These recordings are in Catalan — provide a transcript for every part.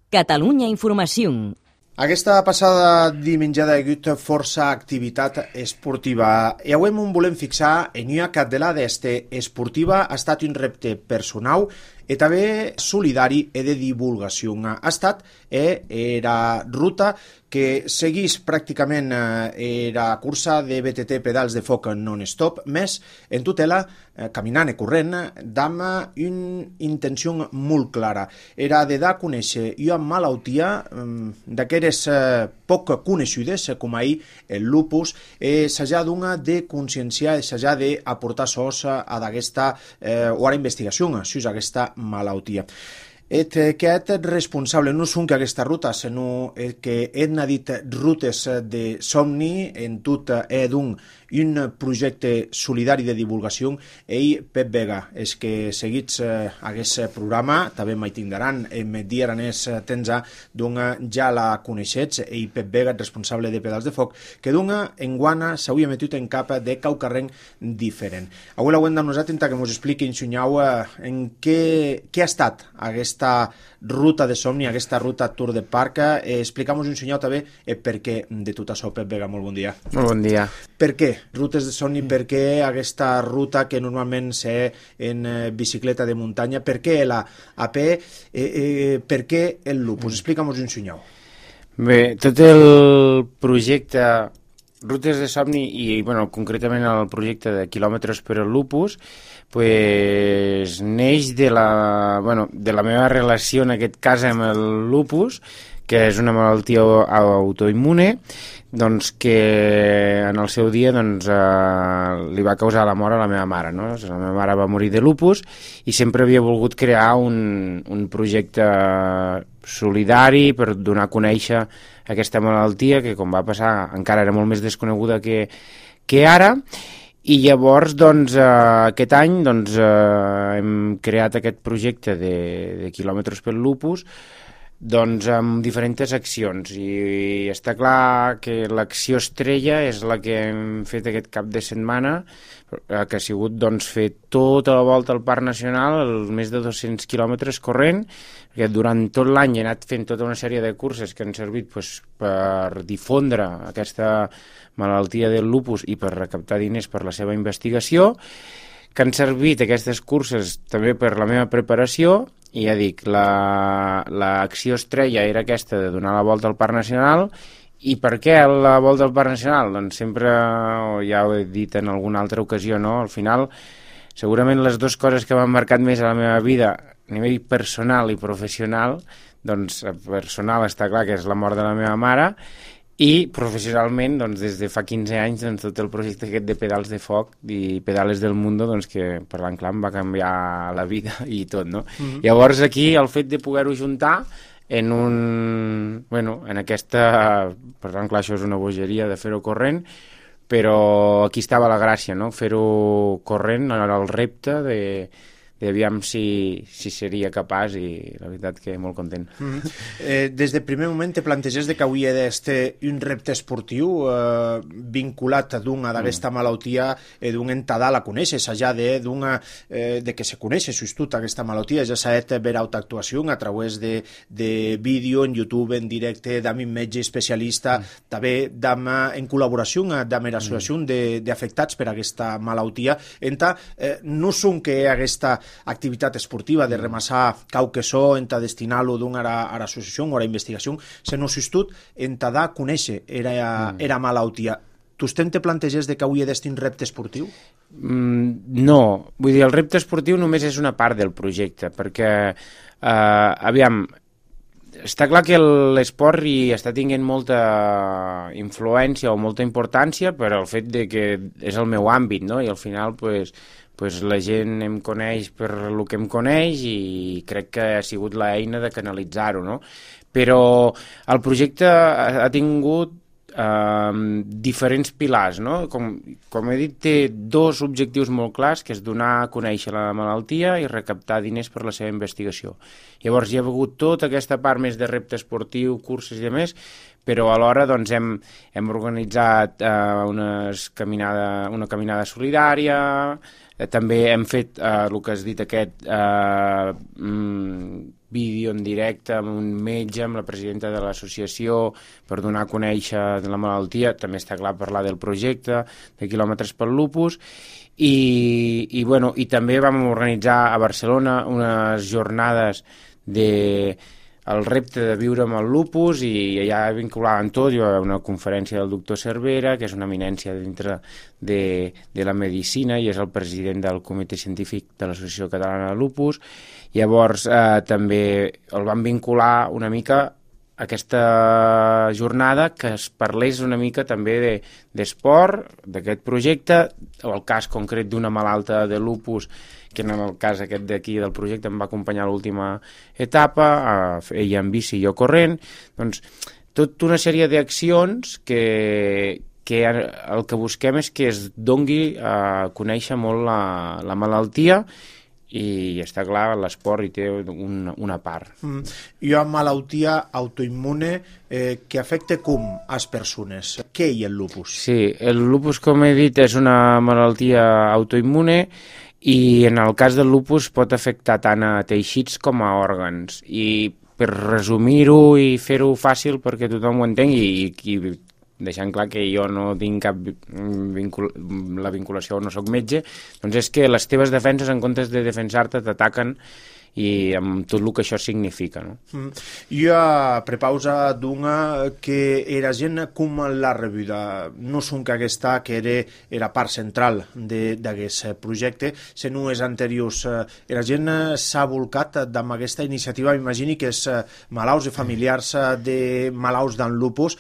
Catalunya Informació. Aquesta passada dimenjada hi ha hagut força activitat esportiva i avui em volem fixar en una caddelada esportiva. Ha estat un repte personal i també solidari i de divulgació. Ha estat era ruta que seguís pràcticament era cursa de BTT pedals de foc non-stop, més en tutela, caminant i corrent, amb una intenció molt clara. Era de dar a conèixer una malaltia d'aquelles poc coneixudes, com ahir el lupus, s'ha de conscienciar, s'ha d'aportar sos a aquesta o a la investigació sobre aquesta malaltia. Aquest responsable no són que aquesta ruta, sinó que hem dit rutes de somni en tot un projecte solidari de divulgació. Ell, Pep Vega, és que seguits aquest programa, també m'hi tindran, em diran tens ja la coneixets, ell, Pep Vega, responsable de Pedals de Foc, que en guana s'hauria metut en cap de caucarrenc diferent. Avui l'haurem de nosaltres que ens expliqui en què ha estat aquesta ruta de somni, aquesta ruta Tour de Parc. Explica'm un senyal també per què de tot això. Pep Vega, molt bon dia. Molt bon dia. Per què rutes de somni? Per què aquesta ruta que normalment sé en bicicleta de muntanya? Per què la a peu? Per què el lupus? Explica'm un senyal. Bé, tot el projecte Rutes de Somni i concretament el projecte de quilòmetres per al lupus neix de la meva relació en aquest cas amb el lupus, que és una malaltia autoimmune que en el seu dia li va causar la mort a la meva mare. La meva mare va morir de lupus i sempre havia volgut crear un projecte solidari per donar a conèixer aquesta malaltia que, com va passar, encara era molt més desconeguda que ara. I llavors, aquest any hem creat aquest projecte de quilòmetres pel lupus amb diferents accions, i està clar que l'acció estrella és la que hem fet aquest cap de setmana, que ha sigut fer tota la volta al Parc Nacional, més de 200 quilòmetres corrent, perquè durant tot l'any he anat fent tota una sèrie de curses que han servit per difondre aquesta malaltia del lupus i per recaptar diners per la seva investigació, que han servit aquestes curses també per la meva preparació. I ja dic, l'acció estrella era aquesta de donar la volta al Parc Nacional. I per què la volta al Parc Nacional? Doncs sempre, ja ho he dit en alguna altra ocasió, al final, segurament les dues coses que m'han marcat més a la meva vida, a nivell personal i professional, personal està clar que és la mort de la meva mare, i professionalment, des de fa 15 anys, tot el projecte aquest de Pedals de Foc i Pedales del Mundo, que parlant clar em va canviar la vida i tot, no? Llavors aquí el fet de poder-ho juntar en aquesta... Per tant, clar, això és una bogeria de fer-ho corrent, però aquí estava la gràcia, no? Fer-ho corrent, era el repte de aviam si seria capaç, i la veritat que molt content. Des del primer moment te planteges que hauria d'estar un repte esportiu vinculat d'aquesta malaltia d'un entadà la coneixes, allà de que se coneix tot aquesta malaltia, ja s'ha de veure actuació a través de vídeo en YouTube, en directe, amb un metge especialista, també en col·laboració amb l'associació d'afectats per aquesta malaltia. No són que aquesta activitat esportiva de remassar cauquesó, destinar-lo a l'associació o a la investigació, sinó tot dar a conèixer era malaltia. Tu te planteges que hauria d'estar un repte esportiu? No, vull dir, el repte esportiu només és una part del projecte, perquè, està clar que l'esport hi està tinguent molta influència o molta importància per al fet que és el meu àmbit, no? I al final, la gent em coneix per el que em coneix i crec que ha sigut l'eina de canalitzar-ho, no? Però el projecte ha tingut diferents pilars, no? Com he dit, té dos objectius molt clars, que és donar a conèixer la malaltia i recaptar diners per la seva investigació. Llavors hi ha hagut tota aquesta part més de repte esportiu, curses i més, però alhora hem organitzat una caminada solidària, també hem fet el que has dit vídeo en directe amb un metge, amb la presidenta de l'associació, per donar a conèixer la malaltia. També està clar parlar del projecte de quilòmetres pel lupus. I també vam organitzar a Barcelona unes jornades el repte de viure amb el lupus, i allà vinculaven tot. Hi va una conferència del doctor Cervera, que és una eminència dintre de la medicina i és el president del comitè científic de l'Associació Catalana de Lupus. Llavors també el van vincular una mica a aquesta jornada, que es parlés una mica també d'esport, d'aquest projecte, o el cas concret d'una malalta de lupus, que en el cas aquest d'aquí del projecte em va acompanyar a l'última etapa, ella en bici i jo corrent. Doncs tota una sèrie d'accions que el que busquem és que es dongui a conèixer molt la malaltia, i està clar, l'esport hi té una part. Hi ha malaltia autoimmune que afecta com as persones. Què hi ha el lupus? Sí, el lupus, com he dit, és una malaltia autoimmune, i en el cas del lupus pot afectar tant a teixits com a òrgans. I per resumir-ho i fer-ho fàcil perquè tothom ho entengui, i deixant clar que jo no tinc cap la vinculació, no sóc metge, doncs és que les teves defenses, en comptes de defensar-te, t'ataquen, i amb tot el que això significa. No? Jo a prepausa d'una que era gent com l'ha rebuda. No són que aquesta que era part central d'aquest projecte, sinó els anteriors. La gent s'ha volcat amb aquesta iniciativa, m'imagini que és malalts i familiars de malalts d'en lupus,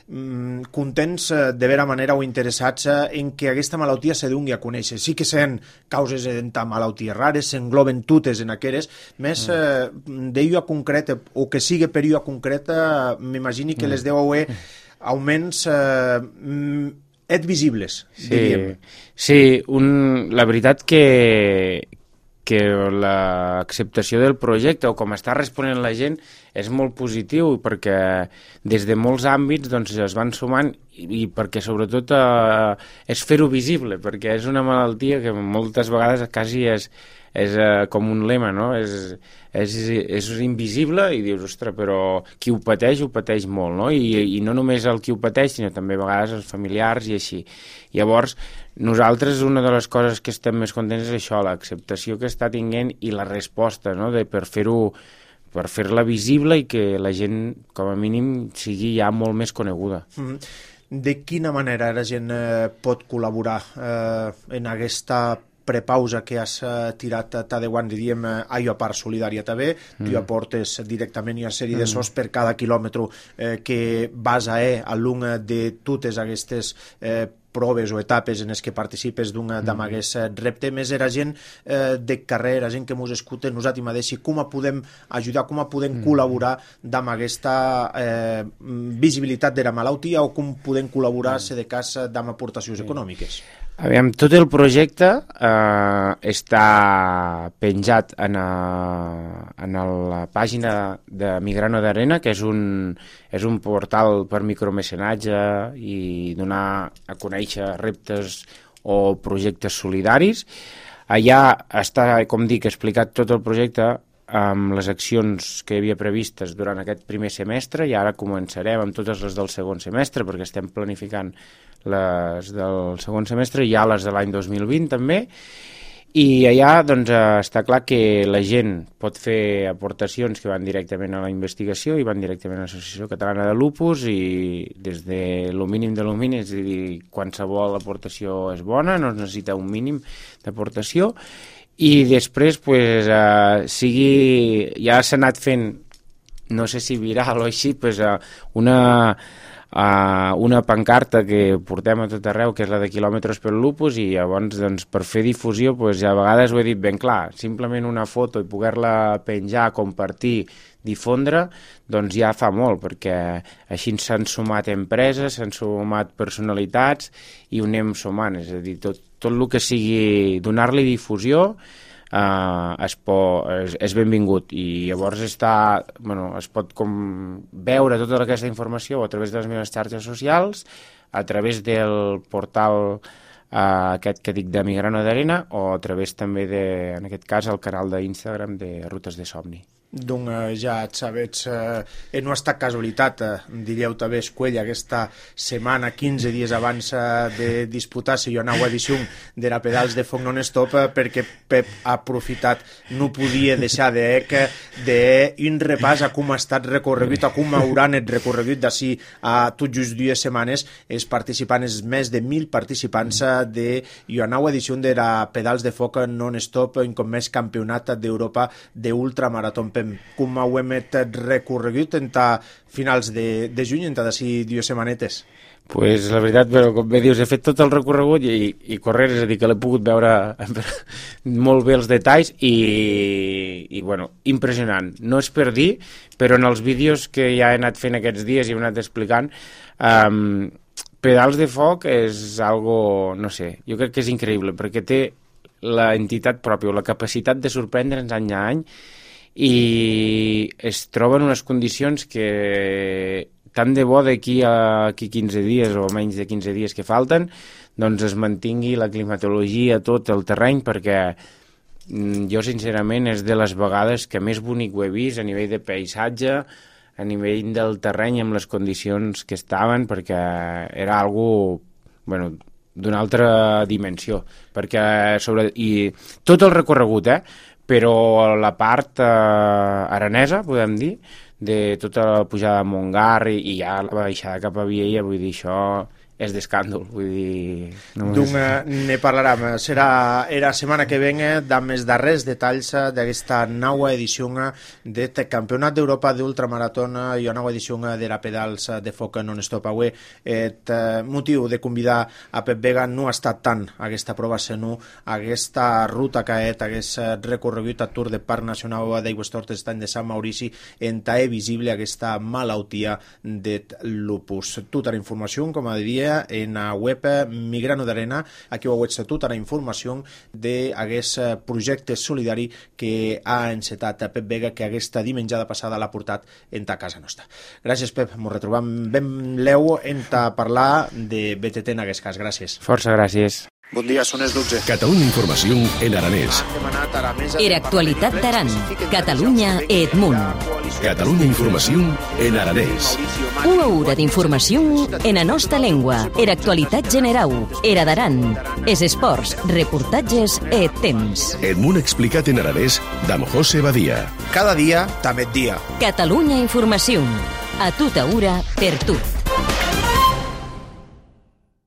contents de vera manera o interessats en que aquesta malaltia se doni a conèixer. Sí que són causes de malalties rares, s'engloben totes en aquelles, més d'ello a concret, o que sigui per ello a concret, m'imagini que les deu haver augments visibles, diríem. Sí, la veritat que l'acceptació del projecte, o com està responent la gent, és molt positiu, perquè des de molts àmbits doncs, es van sumant, i perquè sobretot és fer-ho visible, perquè és una malaltia que moltes vegades quasi és com un lema, no? És invisible, i dius, ostres, però qui ho pateix molt, no? I no només el qui ho pateix, sinó també a vegades els familiars i així. Llavors, nosaltres una de les coses que estem més contents és això, l'acceptació que està tinguent i la resposta, no? Per fer-la visible i que la gent, com a mínim, sigui ja molt més coneguda. De quina manera la gent pot col·laborar en aquesta prepausa que has tirat de quan diríem allò a part solidària també, tu aportes directament una sèrie de sos per cada quilòmetre que vas a l'una de totes aquestes proves o etapes en les que participes d'aquest repte, més era gent de carrer, la gent que ens escolta, nosaltres mateixos, com podem ajudar, com podem col·laborar amb aquesta visibilitat de la malaltia, o com podem col·laborar, si de cas, amb aportacions econòmiques? Aviam, tot el projecte està penjat en la pàgina de Migrano d'Arena, que és un portal per micromecenatge i donar a conèixer reptes o projectes solidaris. Allà està, com dic, explicat tot el projecte amb les accions que hi havia previstes durant aquest primer semestre, i ara començarem amb totes les del segon semestre, perquè estem planificant les del segon semestre i ja les de l'any 2020 també, i allà doncs, està clar que la gent pot fer aportacions que van directament a la investigació i van directament a l'Associació Catalana de Lupus, i des de lo mínim de lo mínim, és a dir, qualsevol aportació és bona, no es necessita un mínim d'aportació, i després pues, ja s'ha anat fent, no sé si viral o així, pues, una pancarta que portem a tot arreu, que és la de quilòmetres pel lupus, i llavors doncs, per fer difusió, pues, a vegades ho he dit ben clar, simplement una foto i poder-la penjar, compartir, difondre, doncs ja fa molt, perquè així s'han sumat empreses, s'han sumat personalitats i ho anem sumant, és a dir, tot el que sigui donar-li difusió és benvingut, i llavors es pot veure tota aquesta informació a través de les meves xarxes socials, a través del portal aquest que dic de Migrano d'Arena, o a través també en aquest cas, el canal d'Instagram de Rutes de Somni. Doncs ja et sabets, no ha estat casualitat, diríeu també Escuella, aquesta setmana, 15 dies abans de disputar-se una nova edició de la Pedals de Foc Non-Stop, perquè Pep ha aprofitat, no podia deixar d'un repàs a com ha estat recorregut, a com hauran el recorregut d'ací a tot just 2 setmanes els participants, més de 1.000 participants de una nova edició de la Pedals de Foc Non-Stop, com més campionat d'Europa d'ultramarató. Com ho hem recorregut entre finals de juny, entre d'ací 2 setmanetes? Pues la veritat, però com bé dius, he fet tot el recorregut i correr, és a dir, que l'he pogut veure molt bé els detalls i bueno, impressionant. No és per dir, però en els vídeos que ja he anat fent aquests dies i he anat explicant, Pedals de Foc és algo, no sé, jo crec que és increïble, perquè té l'entitat pròpia, la capacitat de sorprendre'ns any a any, i es troben unes condicions que tant de bo d'aquí a 15 dies o menys de 15 dies que falten, doncs es mantingui la climatologia, tot el terreny, perquè jo sincerament és de les vegades que més bonic ho he vist a nivell de paisatge, a nivell del terreny, amb les condicions que estaven, perquè era algo, bueno, d'una altra dimensió, perquè i tot el recorregut, però la part aranesa, podem dir, de tota la pujada de Montgar i ja la baixada cap a Viella, vull dir, això és d'escàndol, vull dir... Ne parlarem. Serà la setmana que ve amb els darrers detalls d'aquesta nova edició del Campionat d'Europa d'Ultramarató i una nova edició de la Pedals de Foc Non-Stop. Avui el motiu de convidar a Pep Vega no ha estat tant aquesta prova, sinó aquesta ruta que hagués recorregut a Tour de Parc Nacional d'Aigües Tortes estany de Sant Maurici, on és visible aquesta malaltia del lupus. Tota la informació, com a diria, en la web Migrano d'Arena, aquí ho veig tota la informació d'aquest projecte solidari que ha encetat Pep Vega, que aquesta dimenjada passada l'ha portat en ta casa nostra. Gràcies, Pep, ens retrobam ben leu en parlar de BTT en aquest cas. Gràcies. Força gràcies. Bon dia, són les 12. Catalunya Informació en aranès. Era actualitat d'Aran, Catalunya e Edmunt. Catalunya Informació en aranès. Una hora d'informació en la nostra llengua. Era actualitat general. Era d'Aran. És esports, reportatges e temps. Edmunt explicat en aranès d'Am José Badia. Cada dia, també dia. Catalunya Informació. A tota hora, per tu.